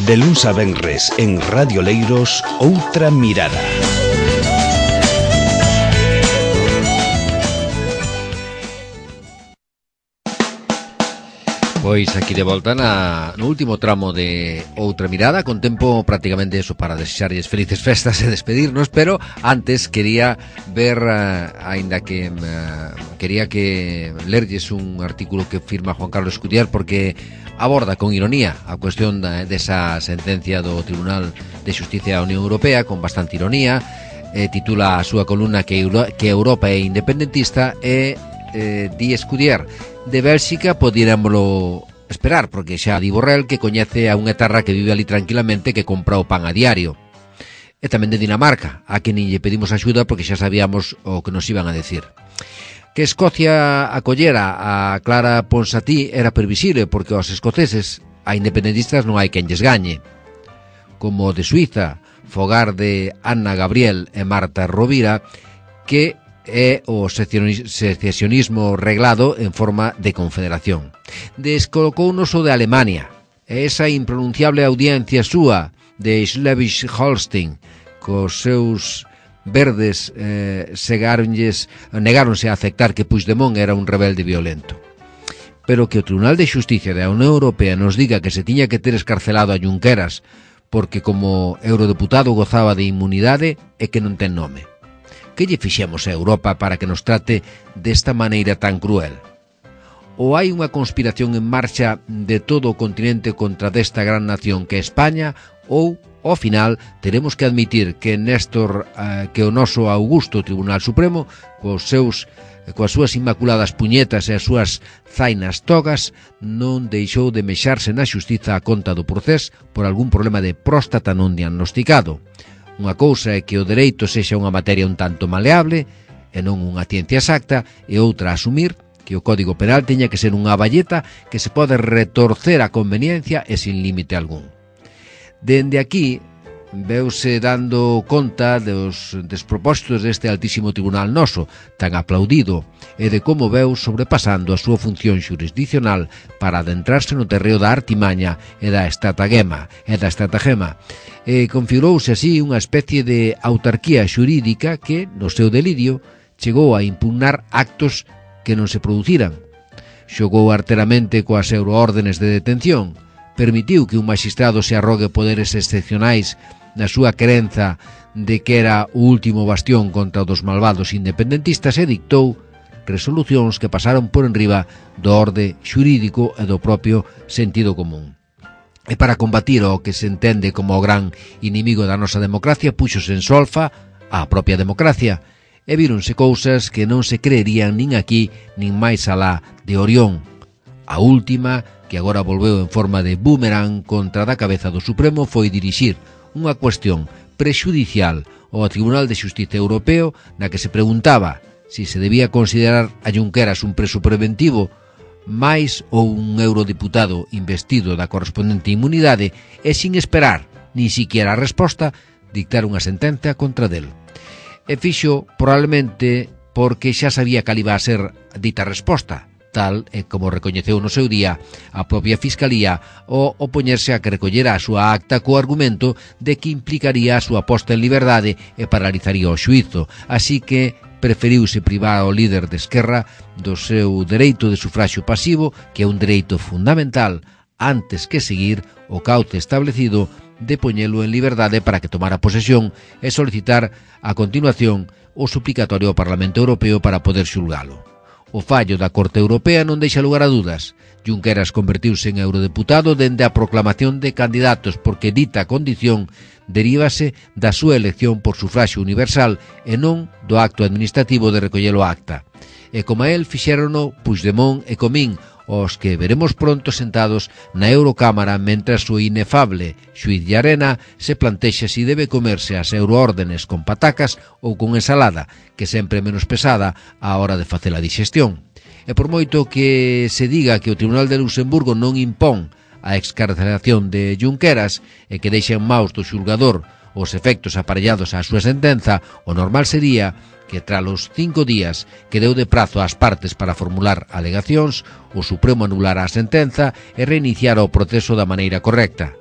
De luns a venres en Radio Leiros, Outra Mirada. Pois aquí de volta no último tramo de Outra Mirada, con tempo prácticamente eso para desexarlles felices festas e despedirnos, pero antes quería ver, aínda que quería que lerlles un artículo que firma Juan Carlos Escudiar, porque aborda con ironía a cuestión desa sentencia do Tribunal de Xustiza da Unión Europea, con bastante ironía. Titula a súa columna que Europa é independentista e di Escudiar: de Bélxica podiéramolo esperar, porque xa di Borrell que coñece a unha etarra que vive ali tranquilamente, que compra o pan a diario. E tamén de Dinamarca, a que nin lle pedimos axuda porque xa sabíamos o que nos iban a decir. Que Escocia acollera a Clara Ponsatí era previsible, porque aos escoceses a independentistas non hai quen lles gañe. Como de Suiza, fogar de Anna Gabriel e Marta Rovira, que é o secesionismo reglado en forma de confederación. Descolocounos o de Alemania, esa impronunciable audiencia súa de Schleswig-Holstein, cos seus verdes negáronse a aceptar que Puigdemont era un rebelde violento. Pero que o Tribunal de Xusticia da Unión Europea nos diga que se tiña que ter escarcelado a Junqueras porque como eurodeputado gozaba de inmunidade é que non ten nome. Que lle fixemos a Europa para que nos trate desta maneira tan cruel? Ou hai unha conspiración en marcha de todo o continente contra desta gran nación que é España, ou, ao final, teremos que admitir que que o noso augusto Tribunal Supremo, coas súas inmaculadas puñetas e as súas zainas togas, non deixou de mexarse na xustiza a conta do Procés por algún problema de próstata non diagnosticado. Unha cousa é que o dereito sexa unha materia un tanto maleable e non unha ciencia exacta, e outra asumir que o Código Penal teña que ser unha balleta que se pode retorcer a conveniencia e sin límite algún. Dende aquí veuse dando conta dos despropósitos deste altísimo tribunal noso, tan aplaudido, e de como veu sobrepasando a súa función xurisdiccional para adentrarse no terreo da artimaña e da estratagema. Configurouse así unha especie de autarquía xurídica que, no seu delirio, chegou a impugnar actos que non se produciran. Xogou arteramente coas euroórdenes de detención, permitiu que un magistrado se arrogue poderes excepcionais na súa crenza de que era o último bastión contra os malvados independentistas e dictou resolucións que pasaron por enriba do orde xurídico e do propio sentido común. E para combatir o que se entende como o gran inimigo da nosa democracia, puxose en solfa a propia democracia, e víronse cousas que non se creerían nin aquí nin máis alá de Orión. A última, que agora volveu en forma de boomerang contra da cabeza do Supremo, foi dirixir unha cuestión prexudicial ao Tribunal de Xustiza Europeo na que se preguntaba si se debía considerar a Junqueras un preso preventivo máis ou un eurodeputado investido da correspondente inmunidade, e sin esperar nin siquiera a resposta dictar unha sentencia contra del. E fixo probablemente porque xa sabía cal iba a ser dita resposta, tal e como recoñeceu no seu día a propia Fiscalía ao opoñerse a que recollera a súa acta co argumento de que implicaría a súa posta en liberdade e paralizaría o xuízo, así que preferiuse privar ao líder de Esquerra do seu dereito de sufraxio pasivo, que é un dereito fundamental, antes que seguir o cauce establecido de poñelo en liberdade para que tomara posesión e solicitar a continuación o suplicatorio ao Parlamento Europeo para poder xulgalo. O fallo da Corte Europea non deixa lugar a dudas. Junqueras convertiuse en eurodeputado dende a proclamación de candidatos, porque dita condición derívase da súa elección por sufraxio universal e non do acto administrativo de recoller o acta. E como a el fixérono Puigdemont e Comín, os que veremos pronto sentados na Eurocámara mentras o inefable xuíz Llarena se plantexa si debe comerse as euroórdenes con patacas ou con ensalada, que sempre é menos pesada á hora de facer a digestión. E por moito que se diga que o Tribunal de Luxemburgo non impón a excarcelación de Junqueras e que deixa en maus do xulgador os efectos aparellados á súa sentenza, o normal sería que tras os 5 días que deu de prazo ás partes para formular alegacións, o Supremo anulara a sentenza e reiniciara o proceso da maneira correcta.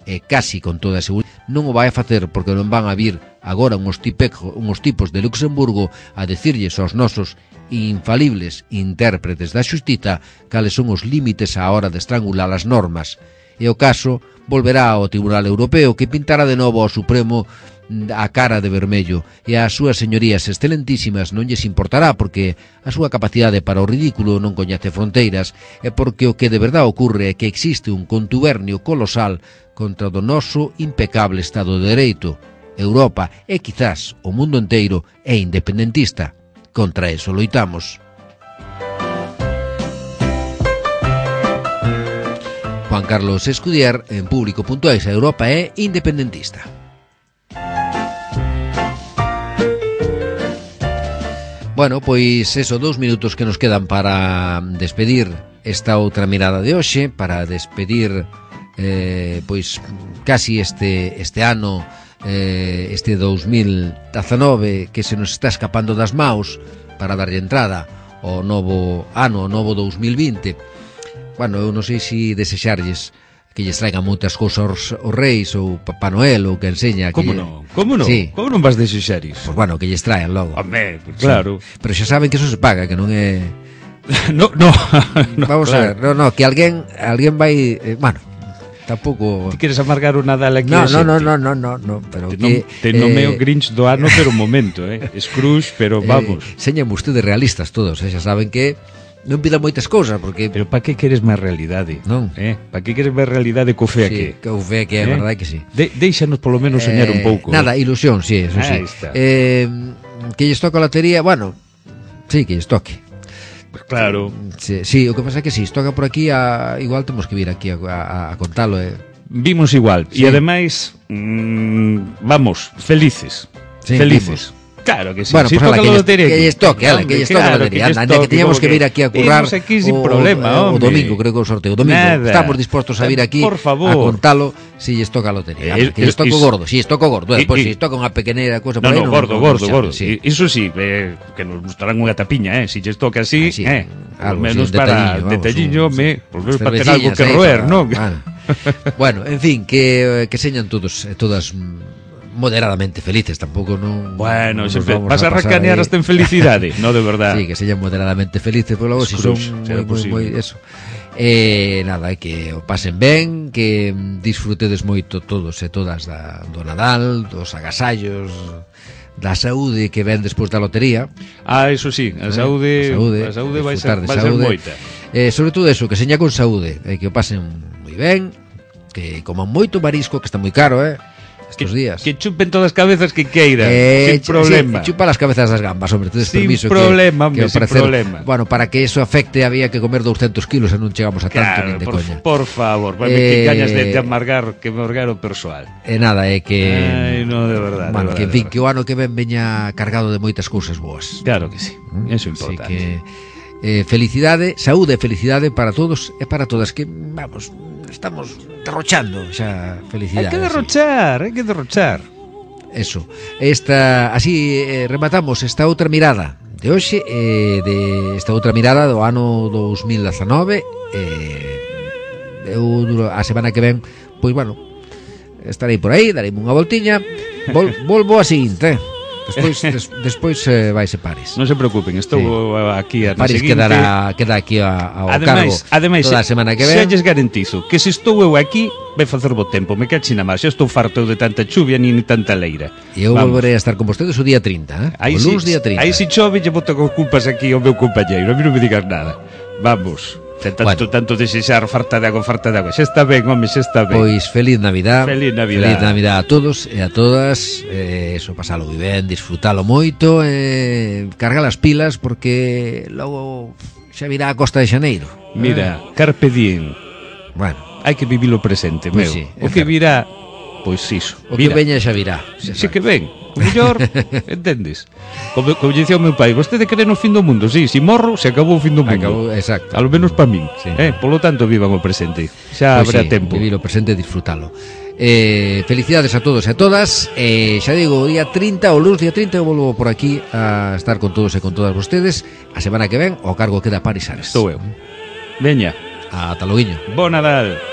E casi con toda a seguridade non o vai a facer, porque non van a vir agora uns tipos de Luxemburgo a decirlles aos nosos infalibles intérpretes da xustiza cales son os límites á hora de estrangular as normas. E o caso volverá ao Tribunal Europeo, que pintará de novo ao Supremo a cara de vermello, e ás súas señorías excelentísimas non lles importará, porque a súa capacidade para o ridículo non coñece fronteiras, e porque o que de verdade ocurre é que existe un contubernio colosal contra o noso impecable Estado de Dereito. Europa e quizás o mundo inteiro é independentista. Contra eso loitamos. Juan Carlos Escudier, en Público.es. Europa é independentista. Bueno, pois eso, 2 minutos que nos quedan para despedir esta outra mirada de hoxe, para despedir pois casi este ano, este 2019 que se nos está escapando das maus, para darlle entrada ao novo ano, ao novo 2020. Bueno, eu non sei se desexarlles que lles traigan moitas cousas os reis ou Papá Noel ou que enseña. Como non? Como non? Sí. Como non vas desexar iso? Pues bueno, que lles traen logo. Home, pues claro. Sí. Pero xa saben que eso se paga, que non é... no, vamos claro. A ver, no, que alguén vai... bueno, tampouco... Ti queres amargar o Nadal aquí? No, pero que... Te nomeo Grinch do ano, pero un momento, Scrooge, pero vamos. Señan ustedes realistas todos, xa saben que non pidan moitas cousas, porque... Pero para que queres máis realidade? Non. Para que queres máis realidade co fe aquí? Sí, co fe aquí, é verdade que sí. Deixanos polo menos soñar un pouco. Nada, ilusión, sí, eso sí. Que lles toca a lotería, bueno, sí, que lles toque. Pues claro. Sí, o que pasa é que si toca por aquí, igual temos que vir aquí a contalo. Vimos igual, sí. E ademais, vamos, felices. Sí, felices. Vimos. Claro que sí. Bueno, si pues toca que lles toque, que lles toque a lotería. Anda, que teníamos que vir aquí a currar aquí sin problema, o domingo, creo que o sorteo. O domingo, estamos dispostos a vir aquí por favor. A contalo si lles toca a lotería. Que lles toca o gordo, si lles toca o gordo. Despois si toca unha pequeñera cousa por aí. No, gordo. Iso sí, que nos gustarán unha tapiña, si lles toca así, al menos para detalliño, por menos para ter algo que roer, non? Bueno, en fin, que señan todos e todas moderadamente felices, tampouco non. Bueno, vas a racanear hasta en felicidade, no, de verdad. Sí, que señan moderadamente felices, pero logo si son moi eso. Nada, que o pasen ben, que disfrutedes moito todos e todas do Nadal, dos agasallos, da saúde que ven despois da lotería. Eso sí, a saúde vai ser moita. Sobre todo eso, que seña con saúde, que o pasen moi ben, que coman moito marisco, que está moi caro, estos días. Que chupen todas as cabezas que queiran, sin problema. Sí, chupa las cabezas das gambas, hombre, tedes permiso. Sin problema, Bueno, para que eso afecte había que comer 200 kilos e non chegamos a tanto, nin de coña. Por favor, que gañas de amargar o persoal. Nada, é que... Ai, no, de verdade. Bueno, que en fin, que o ano que ven veña cargado de moitas cousas boas. Claro que sí, eso é importante. Así que... felicidade, saúde e felicidade para todos e para todas, que, vamos, estamos derrochando xa felicidade. Hai que derrochar. Eso. Así rematamos esta outra mirada de hoxe, de esta outra mirada do ano 2019. Eu a semana que ven, pois bueno, estarei por aí, darei unha voltiña, volvo a seguinte, Despois vaise Paris. Non se preocupen, estou aquí a Paris queda aquí ao cargo ademais, toda a semana que ven. Xa lles garantizo que se estou eu aquí vai facer bo tempo, me cachi na máis. Xa estou farto de tanta chuvia nin tanta leira. E eu volverei a estar con vostedes o día 30, o luns día 30. Aí se chove, lle boto con culpas aquí ao meu compañeiro. A mí non me digas nada. Vamos. Tanto desexar farta de agua. Xa está ben, home, xa está ben. Pois feliz Navidad. Feliz Navidad a todos e a todas. Eso, pasalo ben, disfrutalo moito, carga as pilas, porque logo xa virá a Costa de Xaneiro. Mira, carpe diem. Bueno, hai que vivir o presente, pues meu. Sí, o que virá, pois iso. O que veña xa virá. Si que ven. O mellor, entendes? Como dicía o meu pai, vostede cree no fin do mundo? Sí, si morro, se acabou o fin do mundo. Exacto. A lo menos para min. Sí. Polo tanto, vivan o presente. Xa Pues habrá sí, tempo. Vivir o presente e disfrutalo. Felicidades a todos e a todas. Xa digo, o día 30, o lunes día 30, eu volvo por aquí a estar con todos e con todas vostedes. A semana que ven, o cargo queda Paris Ares. Estou eu. Veña. Ata loguiño. Bo Nadal.